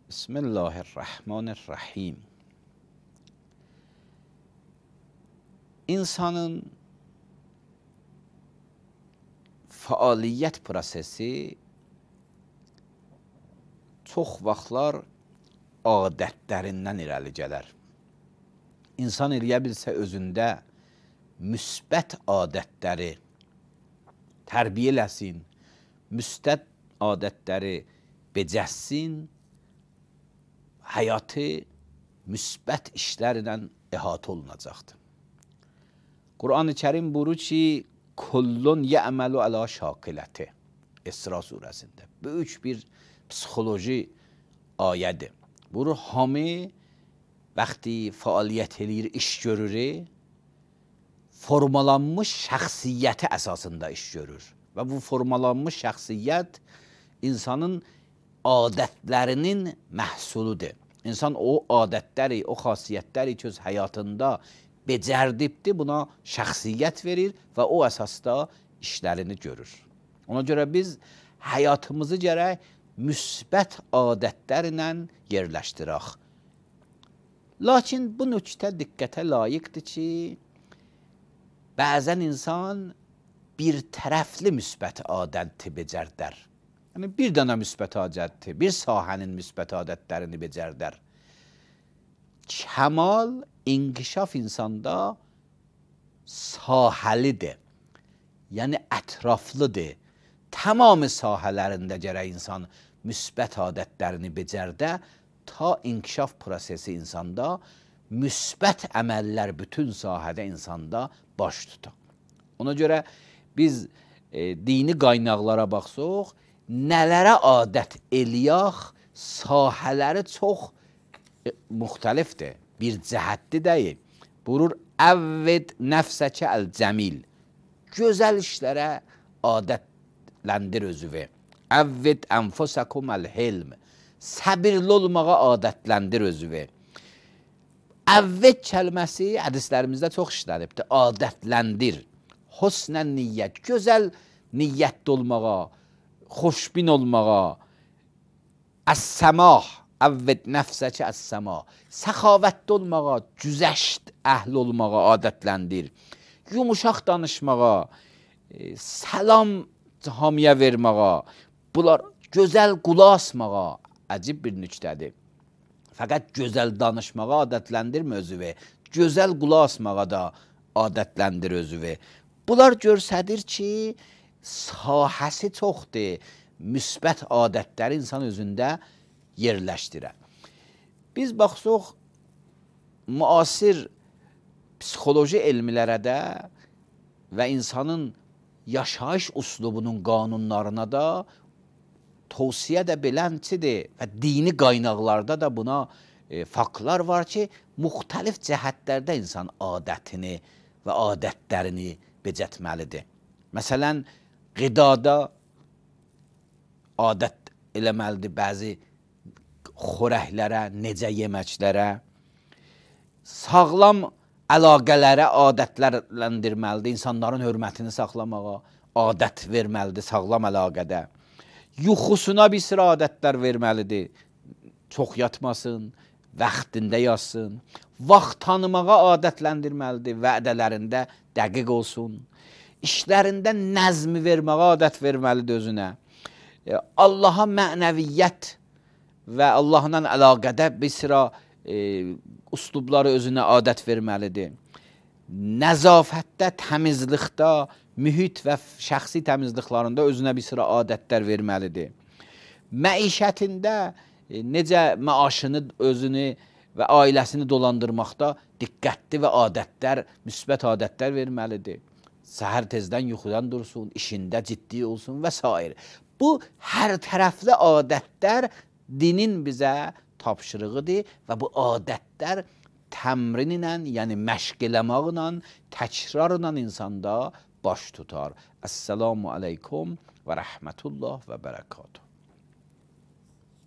بسم الله الرحمن الرحیم. İnsanın fəaliyyət prosesi çox vaxtlar adətlərindən irəli gələr. İnsan eləyə bilsə özündə müsbət adətləri tərbiyə eləsin, müsbət adətləri becəssin, həyatı müsbət işlərlə əhatə olunacaqdır. Quran-ı Kərim buyurur ki, kullun ya'malu ala şakiləti. İsra surəsində. Böyük bir psixoloji ayədir. Buyurur, hamı vaxtı fəaliyyət eləyir, iş görür, formalanmış şəxsiyyəti əsasında iş görür. Və bu formalanmış şəxsiyyət insanın adətlərinin məhsuludur. İnsan o adətləri, o xasiyyətləri ki, öz həyatında becərdibdir, buna şəxsiyyət verir və o əsasda işlərini görür. Ona görə biz həyatımızı gərək müsbət adətlərlə yerləşdirək. Lakin bu nöqtə diqqətə layiqdir ki, bəzən insan bir tərəfli müsbət adəti becərdər. Yəni, bir dənə müsbət adəti, bir sahənin müsbət adətlərini becərdər. Kəmal, inkişaf insanda sahəlidir, yəni ətraflıdır. Tamamı sahələrində gərək insan müsbət adətlərini becərdə, ta inkişaf prosesi insanda müsbət əməllər bütün sahədə insanda baş tutar. Ona görə biz dini qaynaqlara baxsaq, nələrə adət eləyək, sahələri çox müxtəlifdir, bir cəhətli deyil. Buyurur, əvvəd nəfsəkə əl-cəmil. Gözəl işlərə adətləndir özüvü. Əvvəd ənfusəkum əl-hilm. Səbirli olmağa adətləndir özüvü. Əvvəd kəlməsi hədislərimizdə çox işlənibdir. Adətləndir. Husnən niyyət. Gözəl niyyətli olmağa, xoşbin olmağa. Əs-səmah. Əvvəd nəfsəkə əs-səmah. Səxavətli olmağa, güzəşt əhli olmağa adətləndir. Yumuşaq danışmağa, səlam hamiyə verməğa, bunlar gözəl qulaq asmağa əcib bir nüktədir. Fəqət gözəl danışmağa adətləndirmə özüvü, gözəl qulaq asmağa da adətləndir özüvü. Bunlar göstərir ki, sahəsi çoxdur, müsbət adətləri insan özündə yerləşdirər. Biz baxsaq, müasir psixoloji elmlərə də və insanın yaşayış üslubunun qanunlarına da tövsiyə də belənçidir və dini qaynaqlarda da buna faktlar var ki, müxtəlif cəhətlərdə insan adətini və adətlərini becətməlidir. Məsələn, qidada adət eləməlidir bəzi xörəklərə, necə yeməklərə, sağlam əlaqələrə adətləndirməlidir, insanların hörmətini saxlamağa adət verməlidir sağlam əlaqədə. Yuxusuna bir sıra adətlər verməlidir, çox yatmasın, vaxtində yatsın, vaxt tanımağa adətləndirməlidir, vədələrində dəqiq olsun, işlərində nəzmi verməyə adət verməlidir özünə. Allaha mənəviyyət və Allahla əlaqədə bir sıra üslubları özünə adət verməlidir. Nəzafətdə, təmizlikdə, mühit və şəxsi təmizliklərində özünə bir sıra adətlər verməlidir. Məişətində necə maaşını, özünü və ailəsini dolandırmaqda diqqətli və adətlər, müsbət adətlər verməlidir. Səhər tezdən yuxudan dursun, işində ciddi olsun və s. Bu, hər tərəfli adətlər dinin bizə tapşırığıdır və bu adətlər təmrin ilə, yəni məşq eləməklə, təkrarla insanda baş tutar. Əssəlamu aleykum və rəhmətullah və bərəkatuhu.